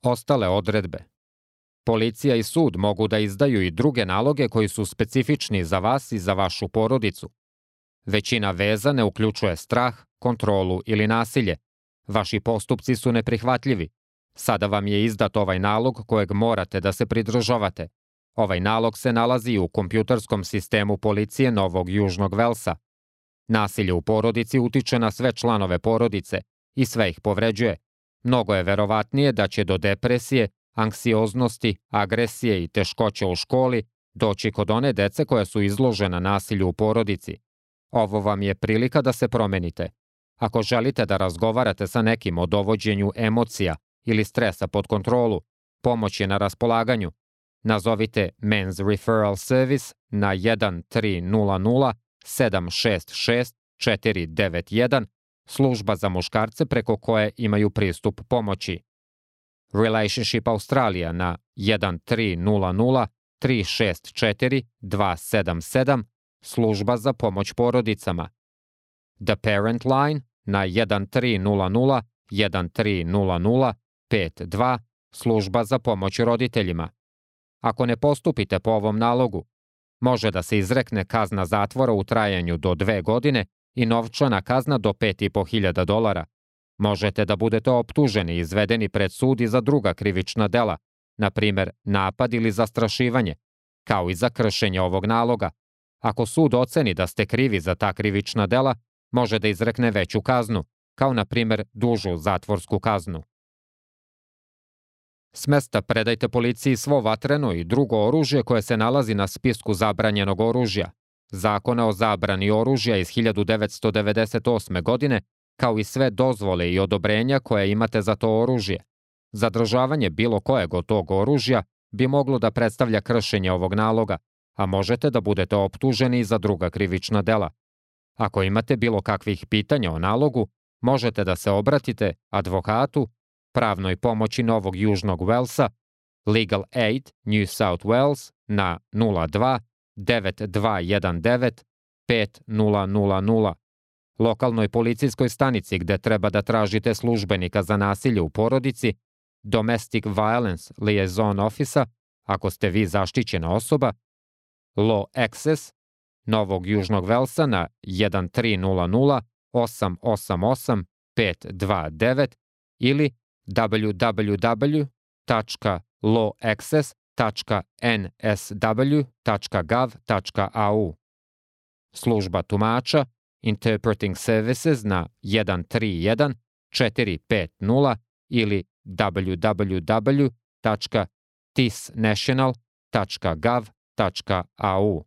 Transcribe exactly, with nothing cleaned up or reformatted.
Ostale odredbe. Policija i sud mogu da izdaju i druge naloge koji su specifični za vas i za vašu porodicu. Većina veza ne uključuje strah, kontrolu ili nasilje. Vaši postupci su neprihvatljivi. Sada vam je izdat ovaj nalog kojeg morate da se pridržavate. Ovaj nalog se nalazi u kompjuterskom sistemu policije Novog Južnog Velsa. Nasilje u porodici utiče na sve članove porodice i sve ih povređuje. Mnogo je verovatnije da će do depresije, anksioznosti, agresije i teškoće u školi doći kod one dece koja su izložena nasilju u porodici. Ovo vam je prilika da se promenite. Ako želite da razgovarate sa nekim o dovođenju emocija ili stresa pod kontrolu, pomoć je na raspolaganju. Nazovite Men's Referral Service na jedan tri nula nula sedam šest šest četiri devet jedan, služba za muškarce preko koje imaju pristup pomoći. Relationship Australia na jedan tri nula nula tri šest četiri dva sedam sedam, služba za pomoć porodicama. The Parent Line na jedan tri nula nula jedan tri nula nula pet dva, služba za pomoć roditeljima. Ako ne postupite po ovom nalogu, može da se izrekne kazna zatvora u trajanju do dve godine i novčana kazna do pet i po hiljada dolara. Možete da budete optuženi i izvedeni pred sud i za druga krivična dela, na primer napad ili zastrašivanje, kao i za kršenje ovog naloga. Ako sud oceni da ste krivi za ta krivična dela, može da izrekne veću kaznu, kao na primer dužu zatvorsku kaznu. S mesta predajte policiji svo vatreno i drugo oružje koje se nalazi na spisku zabranjenog oružja, Zakona o zabrani oružja iz hiljadu devetsto devedeset osme. godine, kao i sve dozvole i odobrenja koje imate za to oružje. Zadržavanje bilo kojeg od tog oružja bi moglo da predstavlja kršenje ovog naloga, a možete da budete optuženi za druga krivična dela. Ako imate bilo kakvih pitanja o nalogu, možete da se obratite advokatu, pravnoj pomoći Novog Južnog Velsa, Legal Aid New South Wales na nula dva devet dva jedan devet pet nula nula nula, lokalnoj policijskoj stanici gde treba da tražite službenika za nasilje u porodici, Domestic Violence Liaison Office, ako ste vi zaštićena osoba, Law Access Novog Južnog Velsa na jedan tri nula nula osam osam osam pet dva devet ili w w w tačka law access tačka n s w tačka gov tačka a u. Služba tumača Interpreting Services na jedan tri jedan četiri pet nula ili w w w tačka tisnational tačka gov tačka a u.